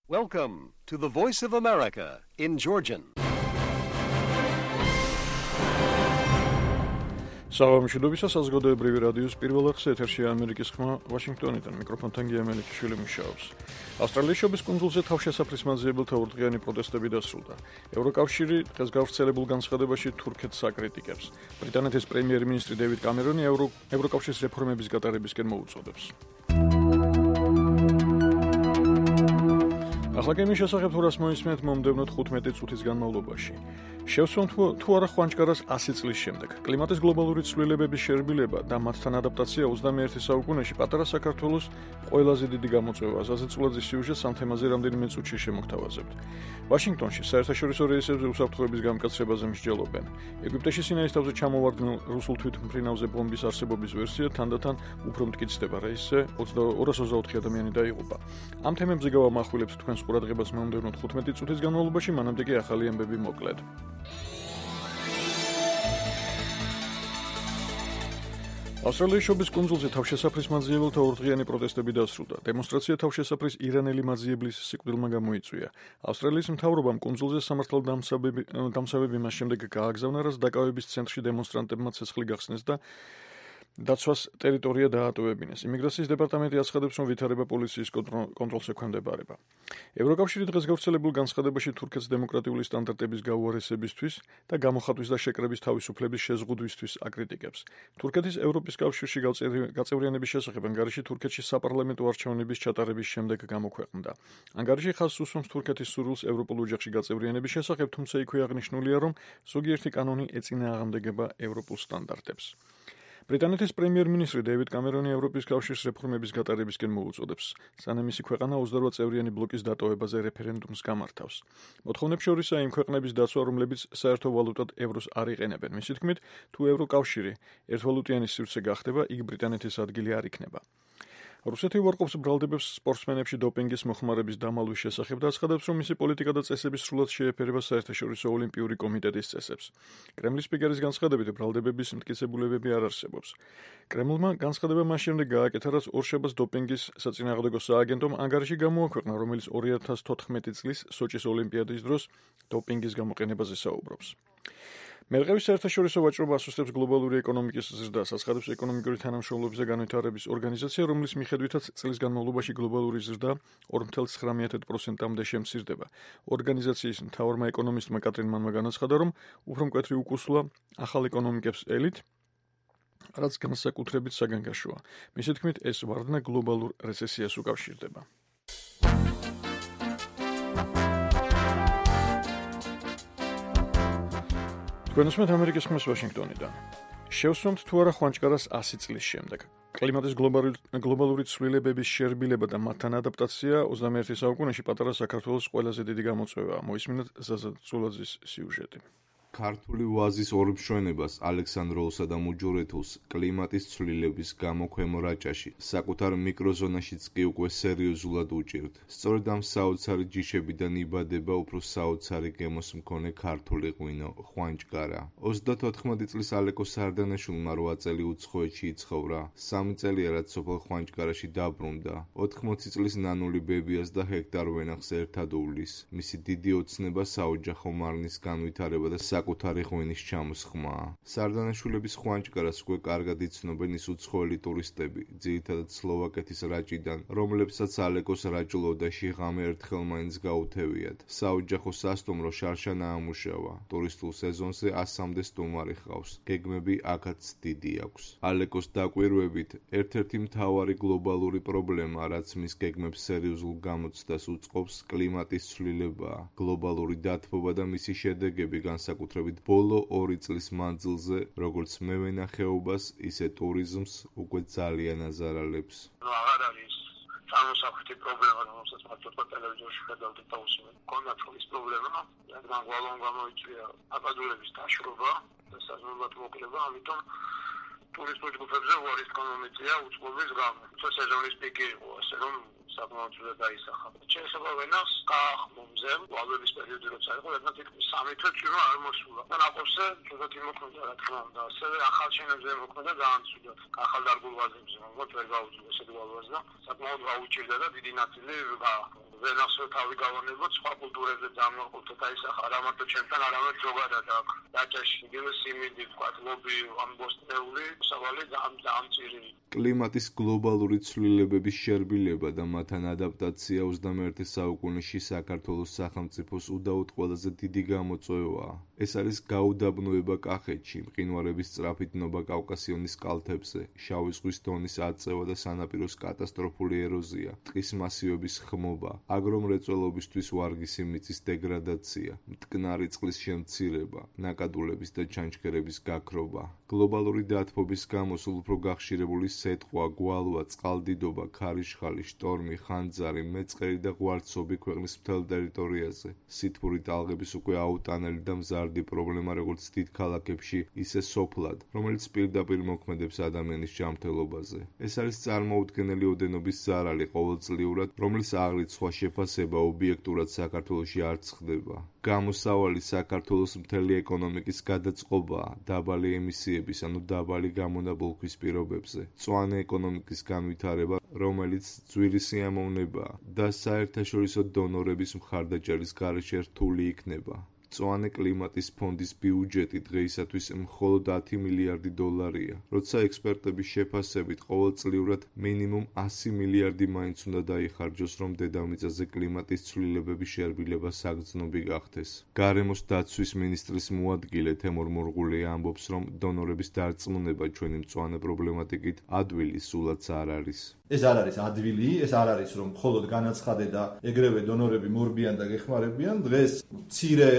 Welcome to the Voice of America in Georgian. Საღამოშიდობისა საზოგადოებრივი რადიოს პირველ არხზე ეთერშია ამერიკის ხმა ვაშინგტონიდან მიკროფონთან გია მელიქიშვილი მუშაობს. ავსტრალიის შობის კუნძულზე თავშესაფრის მაძიებელთა ორდღიანი პროტესტები დასრულდა. ევროკავშირი დღეს გავრცელებულ განცხადებაში თურქეთს აკრიტიკებს. ბრიტანეთის პრემიერ-მინისტრი დევიდ კამერონი ევროკავშირის რეფორმების გატარებისკენ მოუწოდებს. ახლა გემის შესახებ თუ რას მოისმენთ მომდევნო 15 წუთის განმავლობაში. შევსვამთ თუ არა ხვანჭკარას 100 წლის შემდეგ. კლიმატის გლობალური ცვლილებების შერბილება და მათთან ადაპტაცია 21 საუკუნეში პატარა საქართველოს ყველაზე დიდი გამოწვევა. ზაზეწულაძის სიუჟეტს ამ თემაზე რამდენიმე წუთში შემოგთავაზებთ. ვაშინგტონში საერთაშორისო რეისებზე უსაფრთხოების გამკაცრებაზე მსჯელობენ. ეგვიპტეში სინაის თავზე ჩამოვარდნილ რუსულ თვითმფრინავზე ბომბის არსებობის ვერსია თანდათან უფრო მტკიცდება. რეისზე 224 ადამიანი დაიღუპა. ამ თემებზე გავამახვილებთ თქვენს ყურადღებას მომდევნო 15 წუთის განმავლობაში, მანამდე კი ახალი ამბები მოკლედ. ავსტრალიის შობის კუნძულზე თავშესაფრის მაძიებელთა ორდღიანი პროტესტები დასრულდა. დემონსტრაცია თავშესაფრის ირანელი მაძიებლის სიკვდილმა გამოიწვია. ავსტრალიის მთავრობამ კუნძულზე სამართალდამცავები მას შემდეგ გააგზავნა, რაც დაკავების ცენტრში დემონსტრანტებმა ცეცხლი გახსნეს და დაცვას ტერიტორია დაატოვებინეს. იმიგრაციის დეპარტამენტი აცხადებს, რომ ვითარება პოლიციის კონტროლს ექვემდებარება. ევროკავშირი დღეს გავრცელებულ განცხადებაში თურქეთს დემოკრატიული სტანდარტების გაუარესებისთვის და გამოხატვის და შეკრების თავისუფლების შეზღუდვისთვის აკრიტიკებს. თურქეთის ევროპის კავშირში გაწევრიანების შესახებ ანგარიში თურქეთში საპარლამენტო არჩევნების ჩატარების შემდეგ გამოქვეყნდა. ანგარიში ხაზს უსვამს თურქეთის სურვილს ევროპულ ოჯახში გაწევრიანების შესახებ, თუმცა იქვე აღნიშნულია, რომ ზოგიერთი კანონი ეწინააღმდეგება ევროპულ სტანდარტებს. ბრიტანეთის პრემიერ-მინისტრი დევიდ კამერონი ევროპის კავშირის რეფორმების გატარებისკენ მოუწოდებს, სანამ მისი ქვეყანა 28 წევრიანი ბლოკის დატოვებაზე რეფერენდუმს გამართავს. მოთხოვნებს შორისაა იმ ქვეყნების დაცვა, რომლებიც საერთო ვალუტად ევროს არ იყენებენ. მისი თქმით, თუ ევროკავშირი ერთვალუტიანი სივრცე გახდება, იქ ბრიტანეთის ადგილი არ იქნება. რუსეთი უარყოფს ბრალდებებს სპორტსმენებში დოპინგის მოხმარების დამალვის შესახებ და აცხადებს, რომ მისი პოლიტიკა და წესები სრულად შეეფერება საერთაშორისო ოლიმპიური კომიტეტის წესებს. კრემლის სპიკერის განცხადებით, ბრალდებების მტკიცებულებები არ არსებობს. კრემლმა განცხადება მას შემდეგ გააკეთა, რაც ორშაბათს დოპინგის საწინააღმდეგო სააგენტომ ანგარიში გამოაქვეყნა, რომელიც 2014 წლის სოჭის ოლიმპიადის დროს დოპინგის გამოყენებაზე საუბრობს. მერყევის საერთაშორისო ვაჭრობა ასუსტებს გლობალური ეკონომიკის ზრდას, აცხადებს ეკონომიკური თანამშრომლობის და განვითარების ორგანიზაცია, რომლის მიხედვითაც წლის განმავლობაში გლობალური ზრდა 4,9%-მდე შემცირდება. ორგანიზაციის მთავარმა ეკონომისტმა კატრინ მანმა განაცხადა, რომ უფრო მკვეთრი უკუსლა ახალ ეკონომიკებს ელით, რაც განსაკუთრებით საგანგაშოა. მისი თქმით, ეს ვარდნა გლობალურ რეცესიას უკავშირდება. გვენოსმეთ ამერიკის ხმას ვაშინგტონიდან. შევსვამთ თუ არა ხვანჭკარას 100 წლის შემდეგ. კლიმატის გლობალური ცვლილებების შერბილება და მათთან ადაპტაცია 21 საუკუნეში პატარა საქართველოს ყველაზე დიდი გამოწვევაა. მოისმინეთ ზაზაწულაძის სიუჟეტი. ქართული ვაზის ორმშვენებას ალექსანდროულსა და მუჯურეთულს კლიმატის ცვლილების გამო ქვემო რაჭაში საკუთარ მიკროზონაშიც კი უკვე სერიოზულად უჭირთ. სწორედ ამ საოცარი ჯიშებიდან იბადება უფრო საოცარი გემოს მქონე ქართული ღვინო ხვანჭკარა. 34 წლის ალეკო სარდანაშვილმა 8 წელი უცხოეთში იცხოვრა. 3 წელია რაც სოფელ ხვანჭკარაში დაბრუნდა. 80 წლის ნანული ბებიას და ჰექტარ ვენახს ერთად უვლის. მისი დიდი ოცნება საოჯახო მარნის განვითარება და საკუთარი ღვინის ჩამოსხმაა. სარდანაშვილების ხვანჭკარას უკვე კარგად იცნობენ ის უცხოელი ტურისტები, ძირითადად სლოვაკეთის რაჭიდან, რომლებსაც ალეკოს რაჭლოდაში ღამე ერთხელ მაინც გაუთევიათ. საოჯახო სასტუმრო შარშან აამუშავა. ტურისტულ სეზონზე 100-მდე სტუმარი ჰყავს. გეგმები აქაც დიდი აქვს. ალეკოს დაკვირვებით, ერთ-ერთი მთავარი გლობალური პრობლემა, რაც მის გეგმებს სერიოზულ გამოცდას უწყობს, კლიმატის ცვლილებაა. გლობალური დათბობა და მისი შედეგები განსაკუთრებით ბოლო 2 წლის მანძილზე, როგორც მევენახეობას, ისე ტურიზმს უკვე ძალიან აზარალებს. აღარ არის წარმოსახვითი პრობლემა, რომელსაც მარტო ტელევიზორში ხედავდით და უსმენთ. კონდათ ის პრობლემა, რადგან გვალვან გამოიწვია აბადურების დაშრობა და საზოგადოებრივ მოკლება, ამიტომ ტურისტულ ჯგუფებზე უარის ეკონომიკა უწყობის გამო. სეზონის პიკი იყო, ასე რომ საკმაოდ ძვირად დაისახა. შეიძლება ვენახს გაახმომზე, ვალების პერიოდი როცა იყო, ერთად თითქმის 3 თვე წვიმა არ მოსულა. და ნაკურზე ცუდად იმოქმედა, რა თქმა უნდა, ასევე ახალ შენებზე იმოქმედა გაანცვიდა. ახალ დარგულ ვაზებზე, მაგრამ ვერ გაუძლო ესეთი ვალვას და საკმაოდ გაუჭირდა და დიდი ნაწილი გაახმო. ვენახსოვ თავი გავანებოთ, სხვა კულტურებზე დამოუკიდებლად აისახა, არა მარტო ჩემთან, არამედ ზოგადად აქ. დაჭაში იგივე სიმინდი, თქვა, ლობი, ამბოსტნეული, სავალი დამწირი. კლიმატის გლობალური ცვლილებების შერბილება და მათთან ადაპტაცია 21 საუკუნეში საქართველოს სახელმწიფოს უდაოდ ყველაზე დიდი გამოწვევაა. ეს არის გაუდაბნოება კახეთში, მყინვარების სწრაფი დნობა კავკასიონის კალთებზე, შავი ზღვის დონის აწევა და სანაპიროს კატასტროფული ეროზია, ტყის მასივების ხმობა, აგრომრეწველობისთვის ვარგისი მიწის დეგრადაცია, მტკნარი წყლის შემცირება, ნაკადულების და ჩანჩქერების გაქრობა. გლობალური დათბობის გამო სულ უფრო გახშირებული სეტყვა, გვალვა, წყალდიდობა, ქარიშხალი, შტორმი, ხანძარი, მეწყერი და ღვარცობი ქვეყნის მთელ ტერიტორიაზე. სითბური ტალღების უკვე აუტანელი და მზარდი პრობლემა როგორც დიდ ქალაქებში, ისე სოფლად, რომელიც პირდაპირ მოქმედებს ადამიანის ჯანმრთელობაზე. ეს არის წარმოუდგენელი ოდენობის ზარალი ყოველწლიურად, რომლის აღრიც სხვა შეფასება ობიექტურად საქართველოში არ ხდება. გამოსავალი საქართველოს მთელი ეკონომიკის გადაწყობაა დაბალი ემისიების, ანუ დაბალი გამონაბოლქვის პირობებზე. მწვანე ეკონომიკის განვითარება, რომელიც ძვირი სიამოვნებაა და საერთაშორისო დონორების მხარდაჭერის გარეშე რთული იქნება. მწვანე კლიმატის ფონდის ბიუჯეტი დღეისათვის მხოლოდ 10 მილიარდი დოლარია, როცა ექსპერტების შეფასებით ყოველწლიურად მინიმუმ 100 მილიარდი მაინც უნდა დაიხარჯოს, რომ დედამიწაზე კლიმატის ცვლილებების შერბილება საგრძნობი გახდეს. გარემოს დაცვის მინისტრის მოადგილე თემურ მურღულია ამბობს, რომ დონორების დარწმუნება ჩვენი მწვანე პრობლემატიკით ადვილი სულაც არ არის. ეს არ არის ადვილი, ეს არ არის რომ მხოლოდ განაცხადე და ეგრევე დონორები მორბიან და გეხმარებიან. დღეს მცირე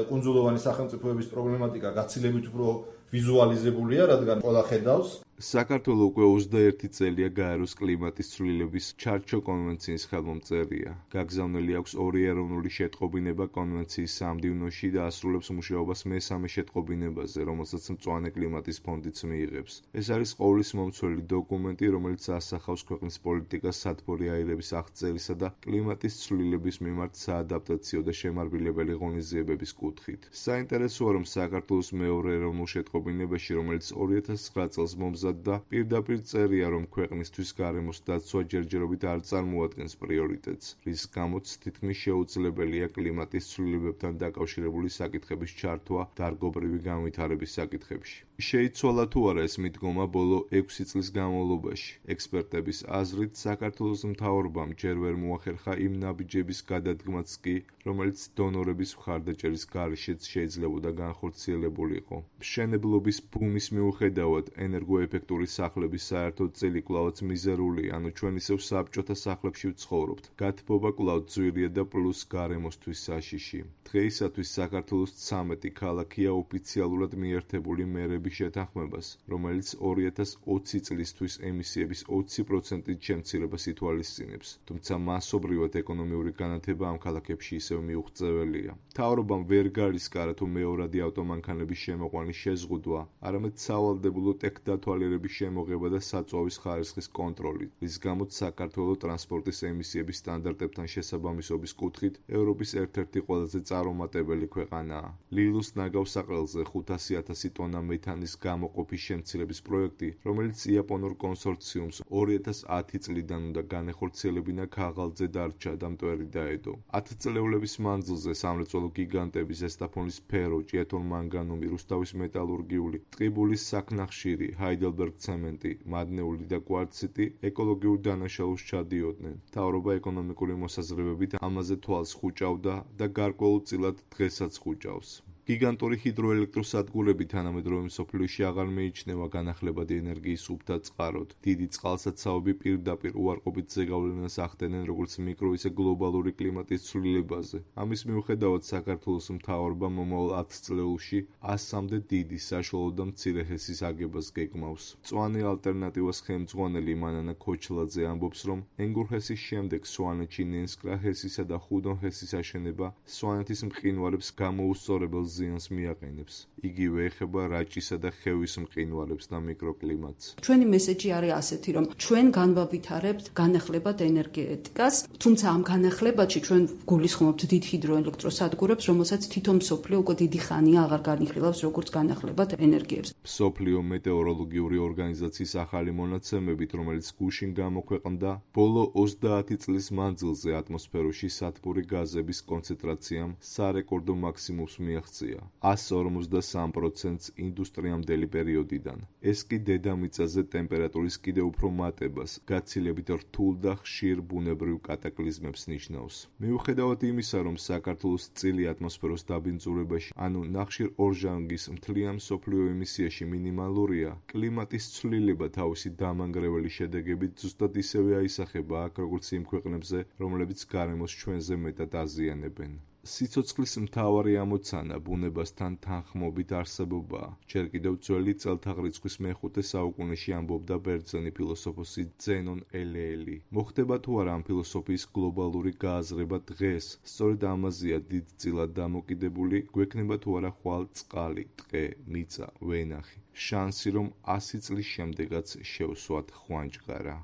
კუნძულოვანი სახელმწიფოების პრობლემატიკა გაცილებით უფრო ვიზუალიზებულია, რადგან ყველა ხედავს. საქართველო უკვე 21 წელია გაეროს კლიმატის ცვლილების ჩარჩო კონვენციის ხელმომწერია. გაგზავნილი აქვს 2 ეროვნული შეტყობინება კონვენციის სამდივნოში და ასრულებს მუშაობას მესამე შეტყობინებაზე, რომელსაც მწვანე კლიმატის ფონდიც მიიღებს. ეს არის ყოვლისმომცველი დოკუმენტი, რომელიც ასახავს ქვეყნის პოლიტიკას სათბური აირების აღწერისა და კლიმატის ცვლილების მიმართ საადაპტაციო და შემარბილებელი ღონისძიებების კუთხით. საინტერესოა, რომ საქართველოს მეორე ეროვნულ შეტყობინებაში, რომელიც 2009 წელს მომზადდა და პირდაპირ წერია, რომ ქვეყნისთვის გარემოს დაცვა ჯერჯერობით არ წარმოადგენს პრიორიტეტს, რის გამოც თითქმის შეუძლებელია კლიმატის ცვლილებებთან დაკავშირებული საკითხების ჩართვა დარგობრივი განვითარების საკითხებში. შეიცვალა თუ არა ეს მიდგომა ბოლო 6 წლის განმავლობაში. ექსპერტების აზრით, საქართველოს მთავრობამ ჯერ ვერ მოახერხა იმ ნაბიჯების გადადგმაც კი, რომელიც დონორების მხარდაჭერის გარეშეც შეიძლებოდა განხორციელებულიყო. მშენებლობის ბუმის მიუხედავად, ენერგოეფექტური სახლების საერთო წილი კვლავაც მიზერულია, ანუ ჩვენ ისევ საბჭოთა სახლებში ვცხოვრობთ. გათბობა კვლავ ძვირია და პლუს გარემოსთვის საშიში. დღეისათვის საქართველოს 13 ქალაქია ოფიციალურად მიერთებული მერების შეთანხმებას, რომელიც 2020 წლისთვის ემისიების 20%-ით შემცირებას ითვალისწინებს, თუმცა მასობრივად ეკონომიური განათება ამ ქალაქებში ისევ მიუღწეველია. მთავრობამ ვერ გარისკარა თუ მეორადი ავტომანქანების შემოყვანის შეზღუდვა, არამედ სავალდებულო ტექდათვალიერების შემოღება და საწვავის ხარისხის კონტროლი, რის გამოც საქართველო ტრანსპორტის ემისიების სტანდარტებთან შესაბამისობის კუთხით ევროპის ერთ-ერთი ყველაზე წარუმატებელი ქვეყანაა. ლილუს ნაგავსაყრელზე 500,000 ტონა მეთანის გამოყოფის შემცირების პროექტი, რომელიც იაპონურ კონსორციუმს 2010 წლიდან უნდა განეხორციელებინა ქაღალდზე დარჩა და მტვერი დაედო. 10 წლეულების მანძილზე სამრეწველო გიგანტები ზესტაფონის ფერო, ჭიათურ-მანგანუმი, რუსთავის მეტალურგიული, ტყიბულის საქნახშირი, ჰაიდელბერგ ცემენტი, მადნეული და კვარციტი ეკოლოგიურ დანაშაულს ჩადიოდნენ. მთავრობა ეკონომიკური მოსაზრებებით ამაზე თვალს ხუჭავდა და გარკვეულწილად დღესაც ხუჭავს. გიგანტური ჰიდროელექტროსადგურები თანამედროვე მსოფლიოში აღარ მეიჩნევა განახლებადი ენერგიის უბთა წყაროდ. დიდი წყალსაცავები პირდაპირ უარყოფით ზეგავლენას ახდენენ როგორც მიკრო, ისე გლობალური კლიმატის ცვლილებაზე. ამის მიუხედავად საქართველოს მთავრობამ მომავალ 10 წლეულში 100-მდე დიდი, საშუალო და მცირე ჰესის აგებას გეგმავს. მწვანე ალტერნატივას ხელმძღვანელი მანანა ქოჩლაძე ამბობს, რომ ენგურჰესის შემდეგ სვანეთში ნენსკრა ჰესისა და ხუდონ ჰესის აშენება სვანეთის მყინვარებს გამოუსწორებელ ზიანს მიაყენებს. იგივე ეხება რაჭისა და ხევის მყინვარებს და მიკროკლიმატს. ჩვენი მესეჯი არის ასეთი, რომ ჩვენ განვავითარებთ განახლებად ენერგეტიკას, თუმცა ამ განახლებაში ჩვენ გულისხმობთ დიდ ჰიდროელექტროსადგურებს, რომელსაც თითო მსოფლიო უკვე დიდი ხანია აღარ განიხილავს როგორც განახლებად ენერგიებს. მსოფლიო მეტეოროლოგიური ორგანიზაციის ახალი მონაცემებით, რომელიც გუშინ გამოქვეყნდა, ბოლო 30 წლის მანძილზე ატმოსფეროში სათბური გაზების კონცენტრაციამ სარეკორდო მაქსიმუმს მიაღწია 153%-ს ინდუსტრიამდელი პერიოდიდან. ეს კი დედამიწაზე ტემპერატურის კიდევ უფრო მატებას, გაცილებით რთულ და ხშირ ბუნებრივ კატაკლიზმებს ნიშნავს. მიუხედავად იმისა, რომ საქართველოს წილი ატმოსფეროს დაბინძურებაში, ანუ ნახშირორჟანგის მთლიან მსოფლიო ემისიაში მინიმალურია, კლიმატის ცვლილება თავისი დამანგრეველი შედეგებით ზუსტად ისევე აისახება აქ, როგორც იმ ქვეყნებზე, რომლებიც გარემოს ჩვენზე მეტად აზიანებენ. სიცოცხლის მთავარი ამოცანა ბუნებასთან თანხმობით არსებობაა. ჯერ კიდევ ძველი წელთაღრიცხვის მეხუთე საუკუნეში ამბობდა ბერძენი ფილოსოფოსი ზენონ ელეელი. მოხდება თუ არა ამ ფილოსოფიის გლობალური გააზრება დღეს, სწორედ ამაზეა დიდწილად დამოკიდებული, გვექნება თუ არა ხვალ წყალი, ტყე, მიწა, ვენახი. შანსი, რომ 100 წლის შემდეგაც შევსვათ ხვანჭყარა.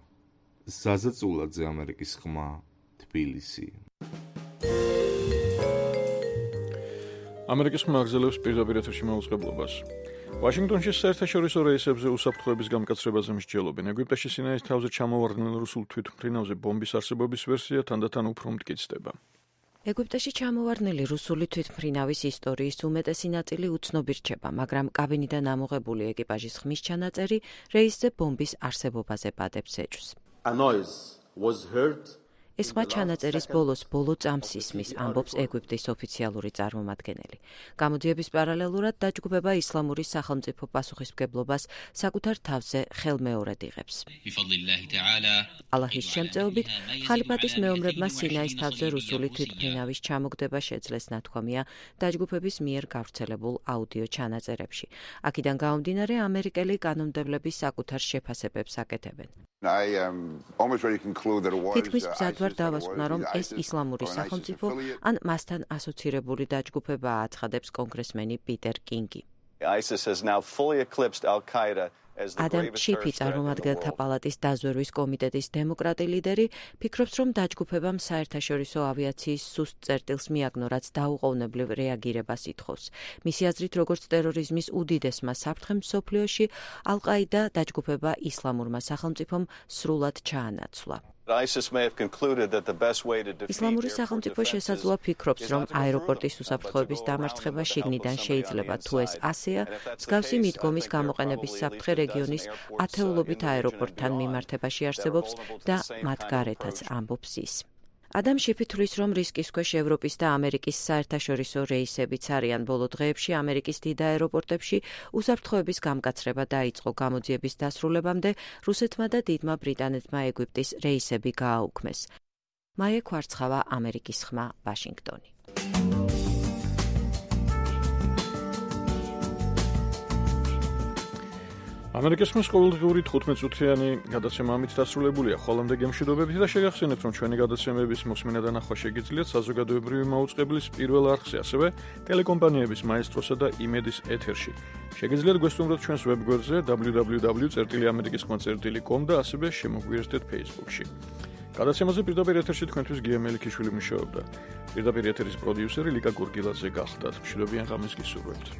ზაზაწულაძე, ამერიკის ხმა, თბილისი. ამერიკის ხმა აგზელებს პირდაპირ ეთერში მაუწყებლობას. ვაშინგტონში საერთაშორისო რეისებზე უსაფრთხოების გამკაცრებაზე მსჯელობენ. ეგვიპტეში სინაის თავზე ჩამოვარდნილ რუსულ თვითმფრინავზე ბომბის არსებობის ვერსია თანდათან უფრო მტკიცდება. ეგვიპტეში ჩამოვარდნილი რუსული თვითმფრინავის ისტორიის უმეტესი ნაწილი უცნობი რჩება, მაგრამ კაბინიდან ამოღებული ეკიპაჟის ხმის ჩანაწერი რეისზე ბომბის არსებობაზე ბადებს ეჭვს. ეს ხმა ჩანაწერის ბოლო წამს ისმის, ამბობს ეგვიპტის ოფიციალური წარმომადგენელი. გამოძიების პარალელურად დაჯგუფება ისლამური სახელმწიფო პასუხისმგებლობას საკუთარ თავზე ხელმეორედ იღებს. ალაჰის შემწეობით, ხალიფატის მეომრებმა სინაის თავზე რუსული თვითმფრინავის ჩამოგდება შეძლეს ნათქვამია დაჯგუფების მიერ გავრცელებულ აუდიო ჩანაწერებში. აქედან გამომდინარე, ამერიკელი კანონმდებლები საკუთარ შეფასებებს აკეთებენ. თითქმის მზად ვარ დავასკვნა, რომ ეს ისლამური სახელმწიფო ან მასთან ასოცირებული დაჯგუფებაა, აცხადებს კონგრესმენი პიტერ კინგი. ადამ ჩიფი, წარმომადგენელთა პალატის დაზვერვის კომიტეტის დემოკრატი ლიდერი, ფიქრობს, რომ დაჯგუფებამ საერთაშორისო ავიაციის სუსტ წერტილს მიაგნო, რაც დაუყოვნებლივ რეაგირებას ითხოვს. მისი აზრით, როგორც ტერორიზმის უდიდესმა საფრთხემ მსოფლიოში, ალ-ყაიდა დაჯგუფება ისლამურმა სახელმწიფომ სრულად ჩაანაცვლა. ისლამური სახელმწიფო შესაძლოა ფიქრობს, რომ აეროპორტის უსაფრთხოების დამარცხება შიგნიდან შეიძლება, თუ ეს ასეა, მსგავსი მიდგომის გამოყენების საფრთხე რეგიონის ათეულობით აეროპორტთან მიმართებაში არსებობს და მათ გარეთაც, ამბობს ის. ადამ შიფი თვლის, რომ რისკის ქვეშ ევროპის და ამერიკის საერთაშორისო რეისებიც არიან. ბოლო დღეებში ამერიკის დიდ აეროპორტებში უსაფრთხოების გამკაცრება დაიწყო. გამოძიების დასრულებამდე რუსეთმა და დიდმა ბრიტანეთმა ეგვიპტის რეისები გააუქმეს. მაია ქვარცხავა, ამერიკის ხმა, ვაშინგტონი. ამერიკის ხმის ყოველდღიური 15 წუთიანი გადაცემა ამით დასრულებულია. ხოლომდე გემშვიდობებით და შეგახსენებთ, რომ ჩვენი გადაცემების მოსმენა და ნახვა შეგიძლიათ საზოგადოებრივი მაუწყებლის პირველ არხზე, ასევე ტელეკომპანიების მაესტროსა და იმედის ეთერში. შეგიძლიათ გვესტუმროთ ჩვენს ვებგვერდზე www.amerikiskhma.com და ასევე შემოგვიერთდეთ Facebook-ში. გადაცემაზე პირდაპირ ეთერში თქვენთვის გია მელიქიშვილი მუშაობდა. პირდაპირ ეთერის პროდიუსერი ლიკა გურგილაძე გახდათ. მშვიდობიან ღამეს გისურვებთ.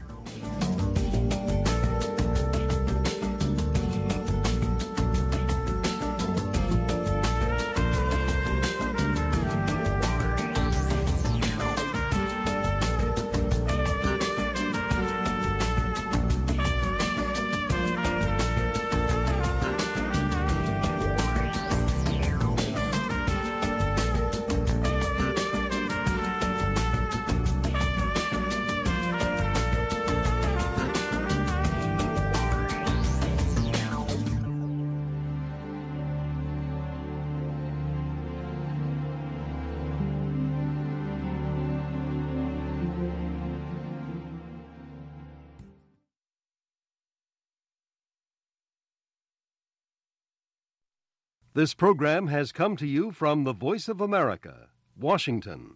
This program has come to you from the Voice of America, Washington.